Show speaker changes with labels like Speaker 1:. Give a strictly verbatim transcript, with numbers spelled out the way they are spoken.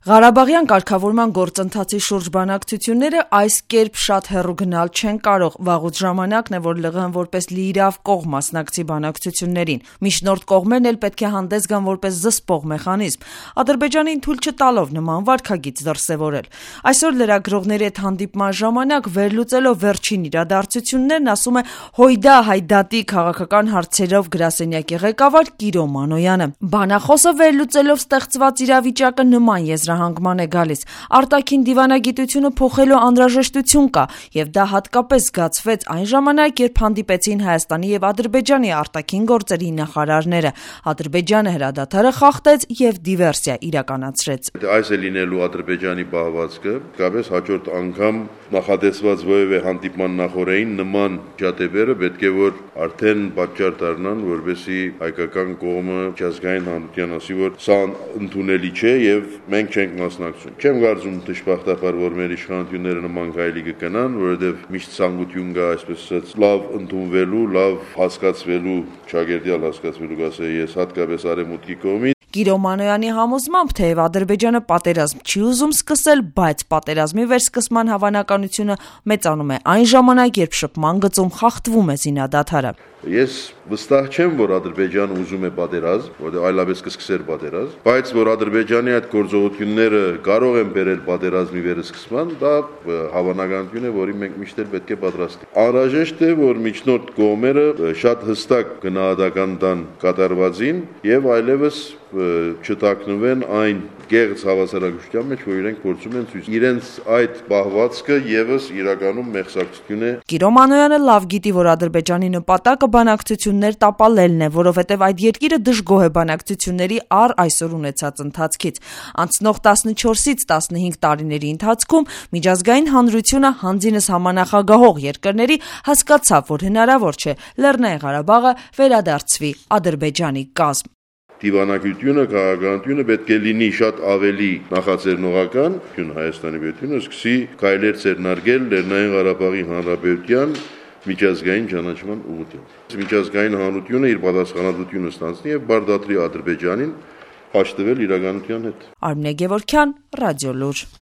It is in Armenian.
Speaker 1: Ղարաբաղյան կարգավորման գործընթացի շուրջ բանակցությունները այս կերպ շատ հեռու գնալ չեն կարող, վաղուց ժամանակն է, որ ԼՂՀ-ն որպես լիիրավ կողմ մասնակցի բանակցություններին։ Միջնորդ կողմերն էլ պետք է հանդես գան որպես զսպող մեխանիզմ, Ադրբեջանին թույլ չտալով նման վարքագիծ դրսևորել։ Այսօր լրագրողների հետ հանդիպման ժամանակ վերլուծելով վերջին իրադարձություններն, ասում է Հույդա Հայդատի քաղաքական հարցերով գրասենյակի ղեկավար Կիրո Մանոյանը։ Բանախոսը վերլուծելով ստեղծված իրավիճակը նման եզրահանգման է գալիս. արտաքին դիվանագիտությունը փոխելու անհրաժեշտություն կա, եւ դա հատկապես զգացվեց այն ժամանակ, երբ հանդիպեցին Հայաստանի եւ Ադրբեջանի արտաքին գործերի նախարարները։ Ադրբեջանը հրադադարը խախտեց եւ դիվերսիա իրականացրեց։
Speaker 2: Այս է լինելու Ադրբեջանի պահվածքը, կապես հաջորդ անգամ նախադեсված որևէ հանդիպման նախորդին նման ճատեբերը պետք է որ արդեն պատճառ դառնան, որովհետեւ հայկական կողմը միջազգային հանրության ասի, որ սա ընդունելի չէ եւ մենք չենք մասնակցում։ Չեմ կարծում դժբախտաբար, որ մեր իշխանությունները նման գայլի կգնան, որովհետեւ միշտ ցանկություն կա, այսպես ասած, լավ ընդունվելու, լավ հասկացվելու, ճագերտյալ հասկացվելու, ասե ես հատկապես արևմուտքի կողմից։
Speaker 1: Կիրո Մանոյանի համոզմամբ, թեև Ադրբեջանը պատերազմ չի ուզում սկսել, բայց պատերազմի վերսկսման հավանականությունը մեծանում է այն ժամանակ, երբ շփման գծում խախտվում է զինադադարը։
Speaker 2: Ես վստահ չեմ, որ Ադրբեջանը ուզում է պատերազմ, որտեղ այլապես կսկսեր պատերազմ, բայց որ Ադրբեջանի այդ գործողությունները կարող են բերել պատերազմի վերսկսման, դա հավանականություն է, որին մենք միշտ էլ պետք է պատրաստ լինենք։ Անհրաժեշտ է, որ միջնորդ կողմերը շատ հստակ գնահատական տան կատարվածին եւ այլևս չտակնվեն այն գեղձ հավասարակշռության մեջ, որ իրենք փորձում են ցույց իրենց այդ պահվածքը եւս իրականում մեղսակցություն է։
Speaker 1: Կիրո Մանոյանը լավ գիտի, որ Ադրբեջանի նպատակը բանակցություններ տապալելն է, որովհետեւ այդ երկիրը դժգոհ է բանակցությունների առ այսօր ունեցած ընթացքից։ Անցնող տասնչորսից տասնհինգ տարիների ընթացքում միջազգային հանրությունը հանձինս համանախագահող երկրների հասկացավ, որ հնարավոր չէ Լեռնային Ղարաբաղը վերադարձվի Ադրբեջանի կազմ։
Speaker 2: Դիվանագիտությունը, քաղաքականությունը պետք է լինի շատ ավելի նախաձեռնողական, Հայաստանի պետությունը սկսի քայլեր ձեռնարկել Լեռնային Ղարաբաղի Հանրապետության միջազգային ճանաչման ուղղությամբ։ Միջազգային հանրությունը իր պատասխանատվությունը ստանձնի եւ բարդատրի Ադրբեջանին հաշտվել իրականության հետ։
Speaker 1: Արմինե Գևորգյան, Ռադիոլուր։